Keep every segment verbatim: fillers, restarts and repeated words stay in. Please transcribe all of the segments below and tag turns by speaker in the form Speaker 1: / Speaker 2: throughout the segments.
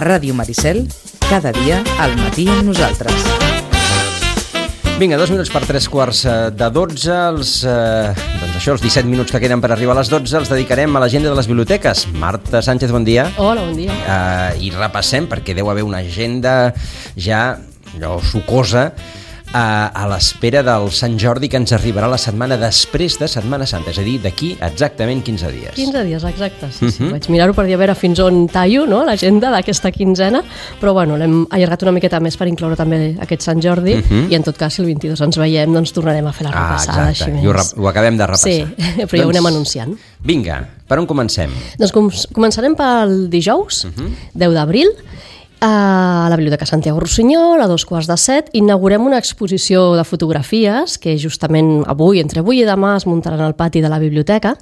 Speaker 1: A Ràdio Maricel, cada dia al matí amb nosaltres.
Speaker 2: Vinga, dos minuts per tres quarts de dotze. Els, eh, doncs això, els disset minuts que queden per arribar a les dotze els dedicarem a l'agenda de les biblioteques. Marta Sánchez, bon dia.
Speaker 3: Hola, bon dia.
Speaker 2: Eh, I repassem, perquè deu haver una agenda ja allò sucosa, eh, a l'espera del Sant Jordi, que ens arribarà la setmana després de Setmana Santa, és a dir, d'aquí exactament quinze dies.
Speaker 3: quinze dies, exacte. Sí, sí. Uh-huh. Vaig mirar-ho per dir a veure fins on tallo, no?, l'agenda d'aquesta quinzena, però bueno, l'hem allargat una miqueta més per incloure també aquest Sant Jordi, uh-huh. i en tot cas, si el vint-i-dos ens veiem, doncs tornarem a fer la repassada.
Speaker 2: Ah, exacte, i ho, ho acabem de repassar.
Speaker 3: Sí, però ja ho anem anunciant.
Speaker 2: Vinga, per on comencem?
Speaker 3: Doncs com, començarem pel dijous, uh-huh. deu d'abril, a la Biblioteca Santiago Rossinyol, a dos quarts de set, inaugurem una exposició de fotografies que justament avui, entre avui i demà, es muntaran al pati de la biblioteca.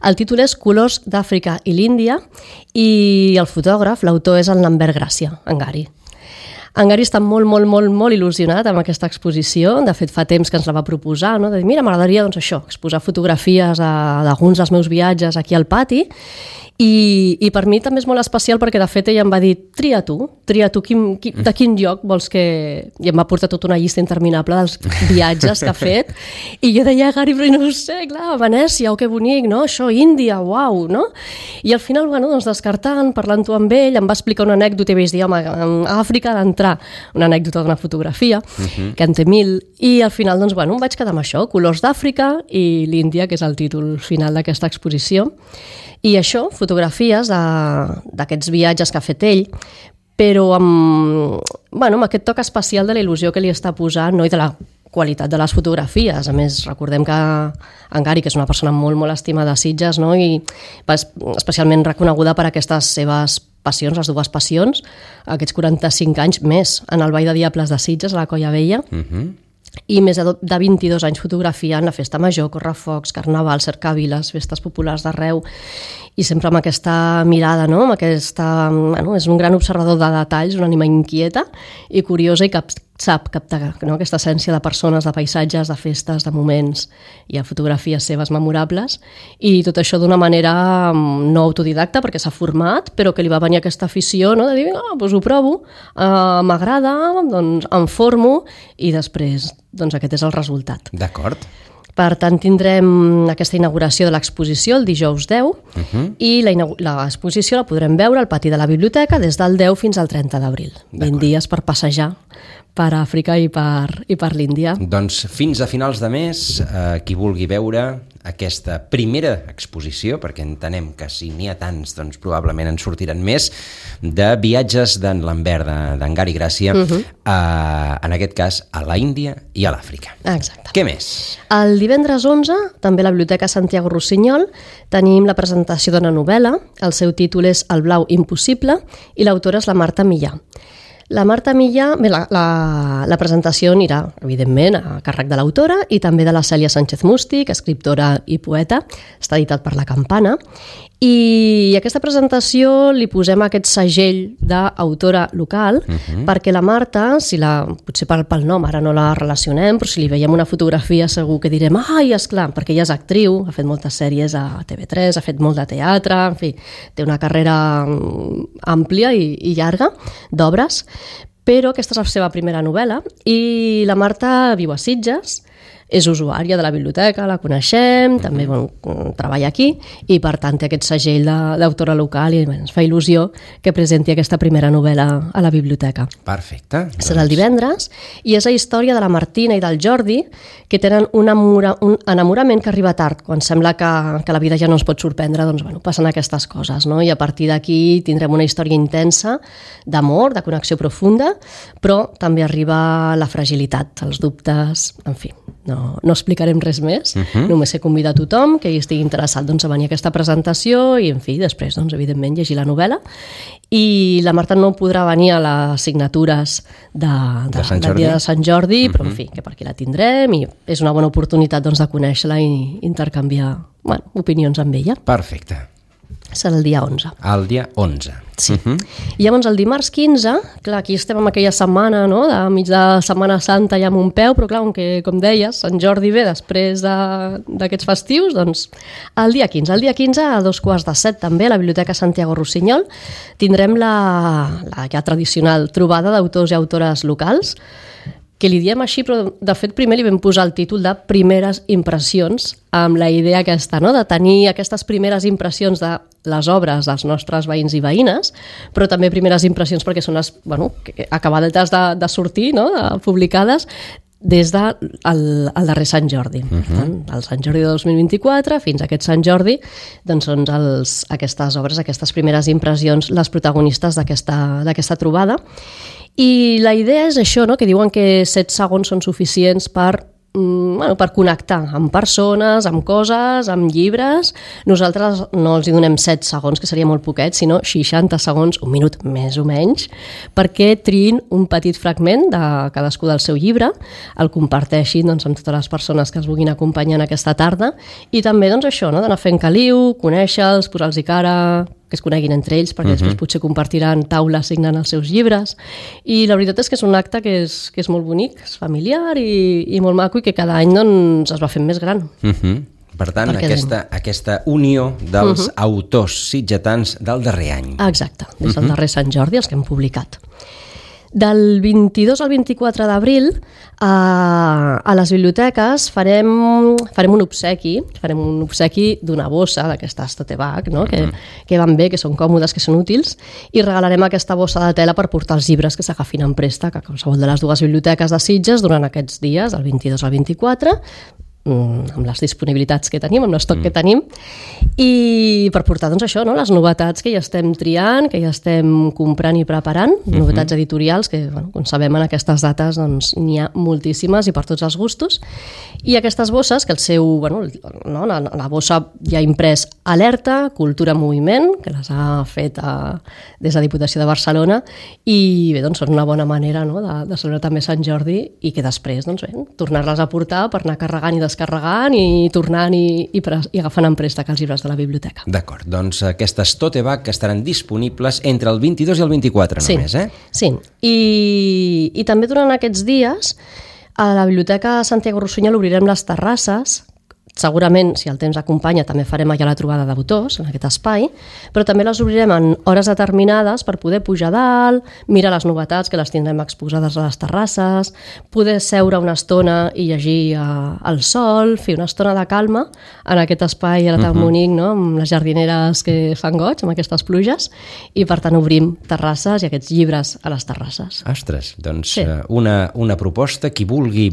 Speaker 3: El títol és Colors d'Àfrica i l'Índia i el fotògraf, l'autor, és el Lambert Gràcia, en Gary. En Gary està molt, molt, molt, molt il·lusionat amb aquesta exposició. De fet, fa temps que ens la va proposar, no? De dir, mira, m'agradaria, doncs això, exposar fotografies d'alguns dels meus viatges aquí al pati. I, i per mi també és molt especial perquè de fet ella em va dir, tria tu, tria tu quin, quin, de quin lloc vols que... I em va portar tota una llista interminable dels viatges que ha fet i jo deia, Gary, però no ho sé, clar, Venècia, oh, que bonic, no? Això, Índia, uau, no? I al final, bueno, doncs descartant, parlant-ho amb ell, em va explicar una anècdota i vaig dir, home, a Àfrica ha d'entrar una anècdota d'una fotografia, uh-huh. que en té mil, i al final, doncs, bueno, em vaig quedar amb això, Colors d'Àfrica i l'Índia, que és el títol final d'aquesta exposició. I això, fotografies d'aquests viatges que ha fet ell, però amb, bueno, amb aquest toc especial de la il·lusió que li està posant, no? I de la qualitat de les fotografies. A més, recordem que en Gary, que és una persona molt, molt estimada a Sitges, no? I especialment reconeguda per aquestes seves passions, les dues passions, aquests quaranta-cinc anys més en el Ball de Diables de Sitges, a la Colla Vella, uh-huh. i més de vint-i-dos anys fotografiant la Festa Major, Correfocs, Carnaval, cercaviles, festes populars d'arreu, i sempre amb aquesta mirada, no? Amb aquesta, bueno, és un gran observador de detalls, una ànima inquieta i curiosa i cap, sap captar, no? Aquesta essència de persones, de paisatges, de festes, de moments. Hi ha fotografies seves memorables i tot això d'una manera no autodidacta, perquè s'ha format, però que li va venir aquesta afició, no? De dir, ah, doncs ho provo, uh, m'agrada, doncs em formo i després doncs aquest és el resultat.
Speaker 2: D'acord.
Speaker 3: Per tant, tindrem aquesta inauguració de l'exposició el dijous deu uh-huh. i l'exposició la podrem veure al pati de la biblioteca des del deu fins al trenta d'abril. vint dies per passejar per Àfrica i per, i per l'Índia.
Speaker 2: Doncs fins a finals de mes, eh, qui vulgui veure aquesta primera exposició, perquè entenem que si n'hi ha tants, doncs probablement en sortiran més, de viatges d'en Lambert, d'en Gary Gràcia, uh-huh. eh, en aquest cas a la Índia i a l'Àfrica.
Speaker 3: Exacte.
Speaker 2: Què més?
Speaker 3: El divendres onze, també a la Biblioteca Santiago Rossinyol, tenim la presentació d'una novel·la. El seu títol és El blau impossible i l'autora és la Marta Millà. La Marta Millà, bé, la, la, la presentació anirà, evidentment, a càrrec de l'autora i també de la Cèlia Sánchez Mústic, escriptora i poeta, està editat per La Campana, i a aquesta presentació li posem aquest segell d'autora local, uh-huh. perquè la Marta, si la, potser pel, pel nom ara no la relacionem, però si li veiem una fotografia segur que direm, ai, esclar, perquè ella és actriu, ha fet moltes sèries a T V tres, ha fet molt de teatre, en fi, té una carrera àmplia i, i llarga d'obres, però aquesta és la seva primera novel·la i la Marta viu a Sitges, és usuària de la biblioteca, la coneixem, també bueno, treballa aquí i per tant té aquest segell d'autora local i bueno, ens fa il·lusió que presenti aquesta primera novel·la a la biblioteca.
Speaker 2: Perfecte.
Speaker 3: Doncs... Serà el divendres i és la història de la Martina i del Jordi que tenen un, amora, un enamorament que arriba tard, quan sembla que, que la vida ja no ens pot sorprendre, doncs bueno, passen aquestes coses, no? I a partir d'aquí tindrem una història intensa d'amor, de connexió profunda, però també arriba la fragilitat, els dubtes, en fi, no, no explicarem res més, uh-huh. només he convidat a tothom que hi estigui interessat doncs, a venir a aquesta presentació i, en fi, després, doncs, evidentment, llegir la novel·la. I la Marta no podrà venir a les signatures de, de, de del dia de Sant Jordi, uh-huh. però, en fi, que per aquí la tindrem i és una bona oportunitat doncs, de conèixer-la i intercanviar bueno, opinions amb ella.
Speaker 2: Perfecte.
Speaker 3: serà el dia onze.
Speaker 2: El dia onze.
Speaker 3: Sí. Uh -huh. I llavors el dimarts quinze, clar, aquí estem en aquella setmana, no?, de mig de Setmana Santa ja amb un peu, però clar, com, que, com deies, Sant Jordi ve després d'aquests de, festius, doncs el dia quinze. El dia quinze, a dos quarts de set també, a la Biblioteca Santiago Rossinyol, tindrem la, la ja tradicional trobada d'autors i autores locals, que li diem així, però de fet primer li vam posar el títol de Primeres Impressions, amb la idea aquesta, no?, de tenir aquestes primeres impressions de les obres dels nostres veïns i veïnes, però també primeres impressions perquè són les, bueno, acabadetes de, de sortir, no?, de, publicades des del de el, el darrer Sant Jordi. Uh -huh. El Sant Jordi de dos mil vint-i-quatre fins a aquest Sant Jordi, doncs són els, aquestes obres, aquestes primeres impressions, les protagonistes d'aquesta trobada. I la idea és això, no?, que diuen que set segons són suficients per, mm, bueno, per connectar amb persones, amb coses, amb llibres. Nosaltres no els hi donem set segons, que seria molt poquet, sinó seixanta segons, un minut més o menys, perquè triïn un petit fragment de cadascú del seu llibre, el comparteixin, doncs, amb totes les persones que es vulguin acompanyar en aquesta tarda, i també doncs, això, no?, d'anar fent caliu, conèixer-los, posar-los cara, que es coneguin entre ells, perquè uh -huh. després potser compartiran taula signant els seus llibres. I la veritat és que és un acte que és, que és molt bonic, és familiar i, i molt maco, i que cada any doncs, es va fent més gran.
Speaker 2: Uh -huh. Per tant, aquesta, aquesta unió dels uh -huh. autors sitgetans del darrer any.
Speaker 3: Exacte, des del uh -huh. darrer Sant Jordi, els que hem publicat. Del vint-i-dos al vint-i-quatre d'abril a, a les biblioteques farem, farem un obsequi, farem un obsequi d'una bossa d'aquestes tote bag, no?, que, que van bé, que són còmodes, que són útils, i regalarem aquesta bossa de tela per portar els llibres que s'agafin en préstec a qualsevol de les dues biblioteques de Sitges durant aquests dies, del vint-i-dos al vint-i-quatre, amb les disponibilitats que tenim, amb l'estoc mm. que tenim, i per portar doncs això, no?, les novetats que ja estem triant, que ja estem comprant i preparant, mm-hmm. novetats editorials que, bueno, com sabem, en aquestes dates doncs n'hi ha moltíssimes i per tots els gustos. I aquestes bosses, que el seu, bueno, no, la, la bossa ja ha imprès Alerta, Cultura en Moviment, que les ha fet a, des de Diputació de Barcelona, i bé, doncs són una bona manera, no?, de, de celebrar també Sant Jordi, i que després, doncs bé, tornar-les a portar per anar carregant i descarregant carregant i tornant i, i, i agafant en préstec els llibres de la biblioteca.
Speaker 2: D'acord, doncs aquestes tote bag que estaran disponibles entre el vint-i-dos i el vint-i-quatre
Speaker 3: sí,
Speaker 2: només, eh?
Speaker 3: Sí, I, i també durant aquests dies a la Biblioteca Santiago Rossinyol obrirem les terrasses. Segurament, si el temps acompanya, també farem allà la trobada d'autors, en aquest espai, però també les obrirem en hores determinades per poder pujar dalt, mirar les novetats, que les tindrem exposades a les terrasses, poder seure una estona i llegir uh, al sol, fer una estona de calma en aquest espai ara tan uh-huh. bonic, no?, amb les jardineres que fan goig, amb aquestes pluges, i per tant obrim terrasses i aquests llibres a les terrasses.
Speaker 2: Ostres, doncs sí. una, una proposta, qui vulgui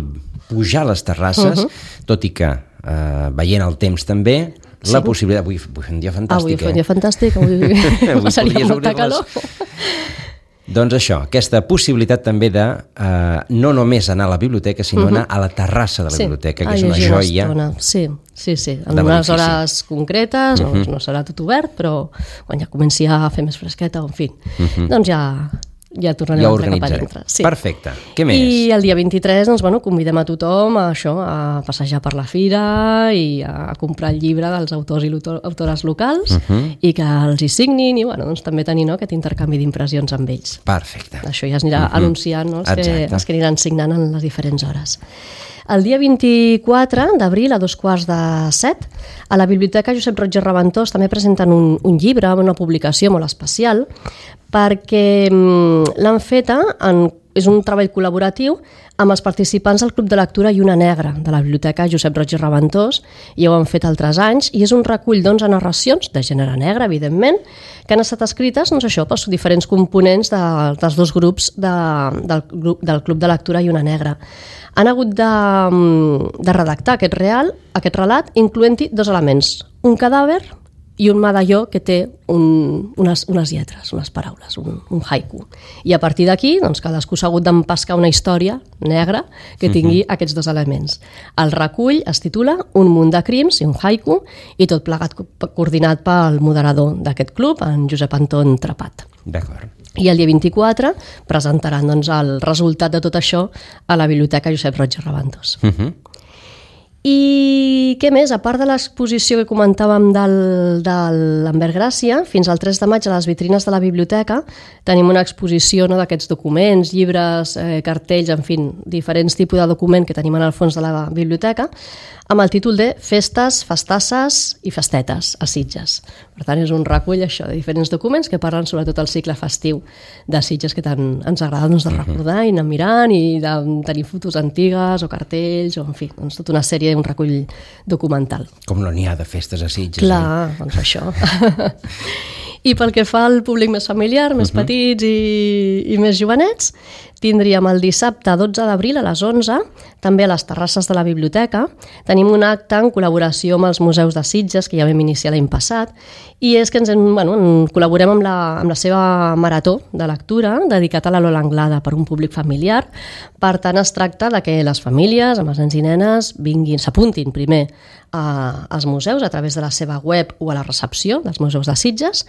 Speaker 2: pujar a les terrasses, uh-huh. tot i que Uh, veient el temps també, sí. la possibilitat... Avui, avui fa un dia fantàstic,
Speaker 3: avui fa un
Speaker 2: eh?
Speaker 3: dia fantàstic, avui, avui seria molta calor.
Speaker 2: Doncs això, aquesta possibilitat també de uh, no només anar a la biblioteca, sinó uh-huh. anar a la terrassa de la sí. biblioteca, que és una joia.
Speaker 3: Una sí, sí, sí. En unes hores concretes, uh-huh. no, no serà tot obert, però quan ja comenci a fer més fresqueta, en fi, uh-huh. doncs ja... ja tornarem
Speaker 2: ja
Speaker 3: a entrar cap a dintre. Sí.
Speaker 2: Perfecte. Què més?
Speaker 3: I el dia vint-i-tres doncs, bueno, convidem a tothom a, això, a passejar per la fira i a, a comprar el llibre dels autors i autores locals uh-huh. i que els hi signin i bueno, doncs, també tenir, no, aquest intercanvi d'impressions amb ells.
Speaker 2: Perfecte.
Speaker 3: Això ja es anirà uh-huh. anunciant, no, els, que, els que aniran signant en les diferents hores. El dia vint-i-quatre d'abril, a dos quarts de set, a la Biblioteca Josep Roig i Raventós també presenten un, un llibre, una publicació molt especial, perquè l'han feta, en, és un treball col·laboratiu amb els participants del Club de Lectura Lluna Negra de la Biblioteca Josep Roig i Raventós, i ho han fet altres anys, i és un recull d'onze narracions, de gènere negre, evidentment, que han estat escrites, doncs això, pels diferents components de, dels dos grups de, del, del Club de Lectura Lluna Negra. Han hagut de, de redactar aquest, real, aquest relat, incloent-hi dos elements, un cadàver i un medalló que té un, unes, unes lletres, unes paraules, un, un haiku. I a partir d'aquí, doncs, cadascú s'ha hagut d'empescar una història negra que tingui uh-huh. aquests dos elements. El recull es titula Un munt de crims i un haiku, i tot plegat coordinat pel moderador d'aquest club, en Josep Anton Trepat.
Speaker 2: D'acord.
Speaker 3: I el dia vint-i-quatre presentaran doncs, el resultat de tot això a la Biblioteca Josep Roig i Raventós. Uh-huh. I què més? A part de l'exposició que comentàvem del, de l'Ambert Gràcia, fins al tres de maig a les vitrines de la biblioteca tenim una exposició, no, d'aquests documents, llibres, eh, cartells, en fi, diferents tipus de document que tenim en el fons de la biblioteca, amb el títol de Festes, Festasses i Festetes a Sitges. Per tant, és un recull això de diferents documents que parlen sobretot del cicle festiu de Sitges, que tant ens agrada, doncs, de recordar i anar mirant i de tenir fotos antigues o cartells o, en fi, doncs, tota una sèrie, un recull documental.
Speaker 2: Com no n'hi ha de festes a Sitges.
Speaker 3: Clar, eh? Doncs això. I pel que fa al públic més familiar, més uh-huh. petits i, i més jovenets, tindríem el dissabte dotze d'abril a les onze, també a les terrasses de la biblioteca. Tenim un acte en col·laboració amb els museus de Sitges, que ja vam iniciar l'any passat, i és que ens en, bueno, en col·laborem amb la, amb la seva marató de lectura dedicat a la Lola Anglada per un públic familiar. Per tant, es tracta de que les famílies, amb els nens i nenes, vinguin, s'apuntin primer a, als museus a través de la seva web o a la recepció dels museus de Sitges,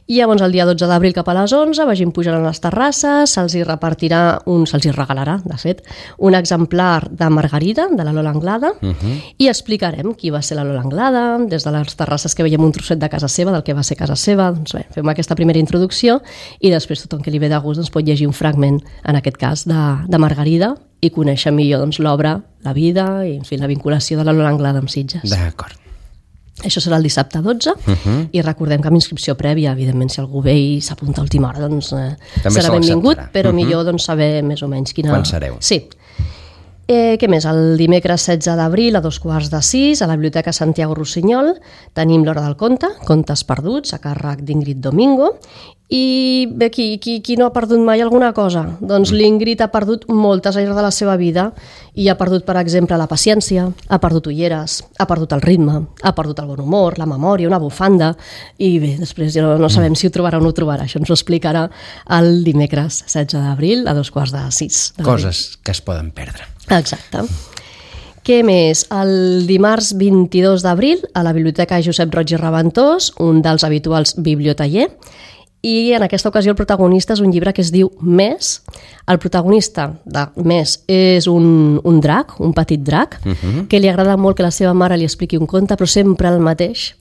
Speaker 3: i llavors el dia dotze d'abril cap a les onze vagin pujant a les terrasses, se'ls hi repartirà, un, se'ls hi regalarà, de fet, un exemplar de Margarida, de la Lola Anglada, uh-huh. i explicarem qui va ser la Lola Anglada, des de les terrasses que veiem un trosset de casa seva, del que va ser casa seva, doncs bé, fem aquesta primera introducció i després tothom que li ve de gust doncs, pot llegir un fragment, en aquest cas, de, de Margarida, i conèixer millor doncs, l'obra, la vida i en fi, la vinculació de la Lola Anglada amb Sitges.
Speaker 2: D'acord.
Speaker 3: Això serà el dissabte dotze, uh-huh. i recordem que amb inscripció prèvia, evidentment, si algú ve i s'apunta a última hora, doncs eh, serà benvingut, però uh-huh. millor doncs, saber més o menys quina...
Speaker 2: Quan sereu?
Speaker 3: Sí. Eh, què més? El dimecres setze d'abril a dos quarts de sis a la Biblioteca Santiago Rossinyol tenim l'Hora del Conte, Contes perduts, a càrrec d'Ingrid Domingo. I bé, qui, qui, qui no ha perdut mai alguna cosa? Doncs l'Ingrid ha perdut moltes anys de la seva vida i ha perdut, per exemple, la paciència, ha perdut ulleres, ha perdut el ritme, ha perdut el bon humor, la memòria, una bufanda, i bé, després ja no, no sabem si ho trobarà o no ho trobarà. Això ens ho explicarà el dimecres setze d'abril a dos quarts de sis.
Speaker 2: Coses que es poden perdre.
Speaker 3: Exacte. Què més? El dimarts vint-i-dos d'abril a la Biblioteca Josep Roig i Reventós, un dels habituals bibliotaller, i en aquesta ocasió el protagonista és un llibre que es diu Més. El protagonista de Més és un, un drac, un petit drac, uh-huh. que li agrada molt que la seva mare li expliqui un conte, però sempre el mateix.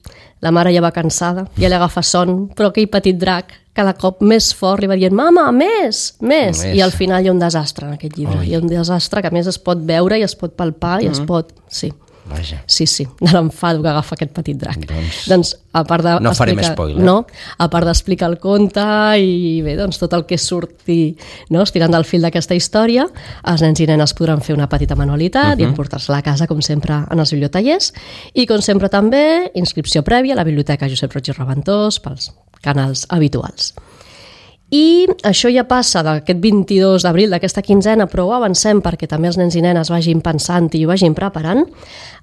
Speaker 3: La mare ja va cansada, ja li agafa son, però aquell petit drac cada cop més fort li va dient «Mama, més, més!» I al final hi ha un desastre en aquest llibre. Ui. Hi ha un desastre que a més es pot veure i es pot palpar i uh-huh. es pot... Sí.
Speaker 2: Vaja.
Speaker 3: Sí, sí, de l'enfado que agafa aquest petit drac.
Speaker 2: Doncs,
Speaker 3: doncs a part de
Speaker 2: no farem
Speaker 3: explicar,
Speaker 2: spoiler.
Speaker 3: No, a part d'explicar el conte i bé, doncs tot el que surti, no, estirant del fil d'aquesta història, els nens i nenes podran fer una petita manualitat uh-huh. i emportar-se-la a casa, com sempre, en els bibliotallers. I com sempre també, inscripció prèvia a la Biblioteca Josep Roig i Reventós pels canals habituals. I això ja passa d'aquest vint-i-dos d'abril, d'aquesta quinzena, però ho avancem perquè també els nens i nenes vagin pensant i ho vagin preparant.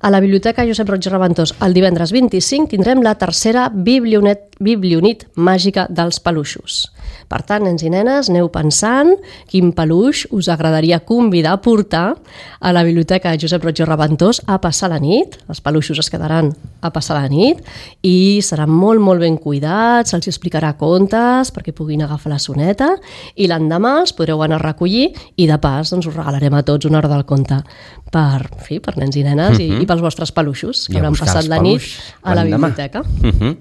Speaker 3: A la Biblioteca Josep Roig i Reventós, el divendres vint-i-cinc, tindrem la tercera Biblionet, Biblionit màgica dels peluixos. Per tant, nens i nenes, aneu pensant quin peluix us agradaria convidar a portar a la Biblioteca Josep Roig i Reventós a passar la nit. Els peluixos es quedaran a passar la nit i seran molt, molt ben cuidats, se'ls explicarà contes perquè puguin agafar la soneta i l'endemà els podreu anar a recollir i de pas doncs, us regalarem a tots una hora del conte per, fi, per nens i nenes uh-huh. i, i pels vostres peluixos que hauran passat la nit a la biblioteca. Uh-huh.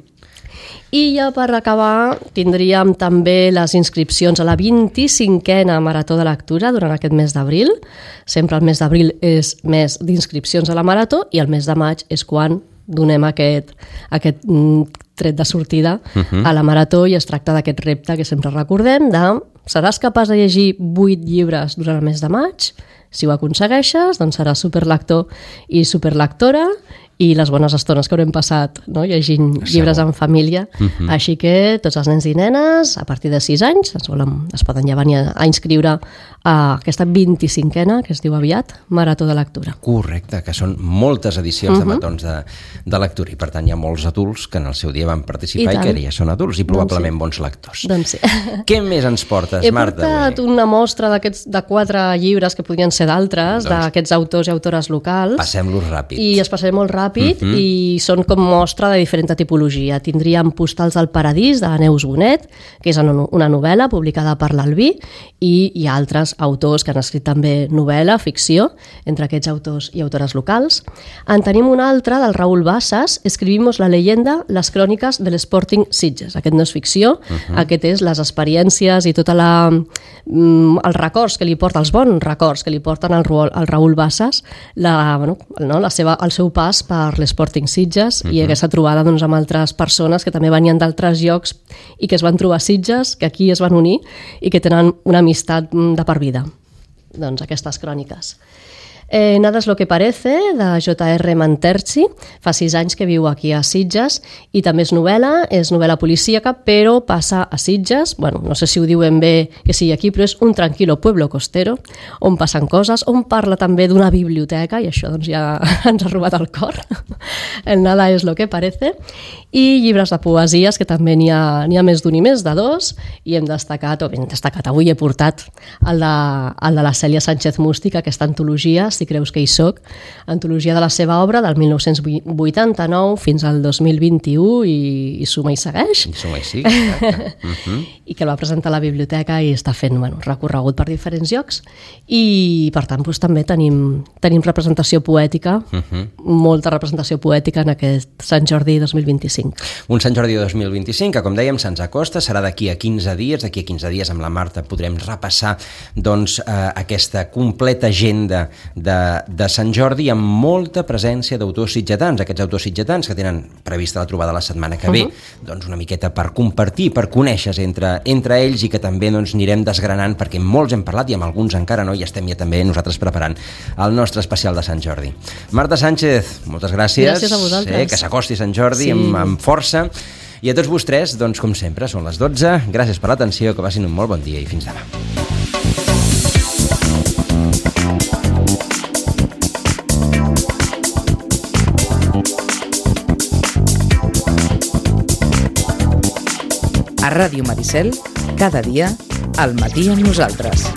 Speaker 3: I ja per acabar tindríem també les inscripcions a la vint-i-cinquena Marató de Lectura durant aquest mes d'abril. Sempre el mes d'abril és mes d'inscripcions a la Marató i el mes de maig és quan donem aquest, aquest tret de sortida uh-huh. a la Marató i es tracta d'aquest repte que sempre recordem de seràs capaç de llegir vuit llibres durant el mes de maig? Si ho aconsegueixes, doncs seràs superlector i superlectora i les bones estones que haurem passat, no? llegint Segur. llibres en família. Uh-huh. Així que tots els nens i nenes, a partir de sis anys, es, volen, es poden ja venir a, a inscriure a aquesta vint-i-cinquena, que es diu aviat, Marató de Lectura.
Speaker 2: Correcte, que són moltes edicions uh-huh. de maratons de, de lectura i per tant hi ha molts adults que en el seu dia van participar i, i que ara ja són adults i probablement doncs sí. bons lectors.
Speaker 3: Doncs sí.
Speaker 2: Què més ens portes,
Speaker 3: He
Speaker 2: Marta?
Speaker 3: He portat una mostra d'aquests de quatre llibres que podrien ser d'altres, doncs, d'aquests autors i autores locals.
Speaker 2: Passem-los ràpid.
Speaker 3: I es passarem molt ràpid ràpid
Speaker 2: Mhm.
Speaker 3: i són com mostra de diferent tipologia. Tindríem Postals del Paradís, de Neus Bonet, que és una una novel·la publicada per l'Albí, i hi ha altres autors que han escrit també novel·la, ficció, entre aquests autors i autores locals. En tenim una altra del Raül Bassas, Escribimos la leyenda, les cròniques de l'Sporting Sitges. Aquest no és ficció, uh-huh. aquest és les experiències i tota la, mm, els records que li porta, els bons records que li porten al, al Raül Bassas, la, bueno, no, la seva, el seu pas per l'Sporting Sitges uh-huh. i aquesta trobada doncs, amb altres persones que també venien d'altres llocs i que es van trobar a Sitges, que aquí es van unir i que tenen una amistat de per vida. Doncs aquestes cròniques. Eh, Nada es lo que parece, de J R Manterci, fa sis anys que viu aquí a Sitges i també és novel·la, és novel·la policíaca, però passa a Sitges, bueno, no sé si ho diuen bé que sigui aquí, però és un tranquilo pueblo costero, on passen coses, on parla també d'una biblioteca, i això doncs ja ens ha robat el cor, el Nada es lo que parece, i llibres de poesies, que també n'hi ha, n'hi ha més d'un i més de dos, i hem destacat, o ben destacat, avui he portat el de, el de la Cèlia Sánchez Mústic, aquesta antologia, Si creus que hi soc, antologia de la seva obra del mil nou-cents vuitanta-nou fins al dos mil vint-i-u i, i suma i segueix.
Speaker 2: I suma i sí, exacte. Uh-huh.
Speaker 3: I que el va presentar a la biblioteca i està fent bueno, recorregut per diferents llocs i per tant doncs, també tenim, tenim representació poètica, uh-huh. molta representació poètica en aquest Sant Jordi dos mil vint-i-cinc.
Speaker 2: Un Sant Jordi dos mil vint-i-cinc que, com dèiem, se'ns acosta, serà d'aquí a quinze dies, d'aquí a quinze dies amb la Marta podrem repassar doncs, eh, aquesta completa agenda de, de Sant Jordi amb molta presència d'autors sitgetans, aquests autors sitgetans que tenen prevista la trobada la setmana que ve, uh-huh. doncs una miqueta per compartir, per conèixer entre, entre ells i que també doncs, anirem desgranant perquè molts hem parlat i amb alguns encara no i estem ja també nosaltres preparant el nostre especial de Sant Jordi. Marta Sánchez, moltes gràcies.
Speaker 3: Gràcies a vosaltres.
Speaker 2: Eh, que s'acosti Sant Jordi sí. amb, amb força. I a tots vostès, doncs com sempre, són les dotze. Gràcies per l'atenció, que passin un molt bon dia i fins demà.
Speaker 1: A Ràdio Maricel, cada dia, al matí amb nosaltres.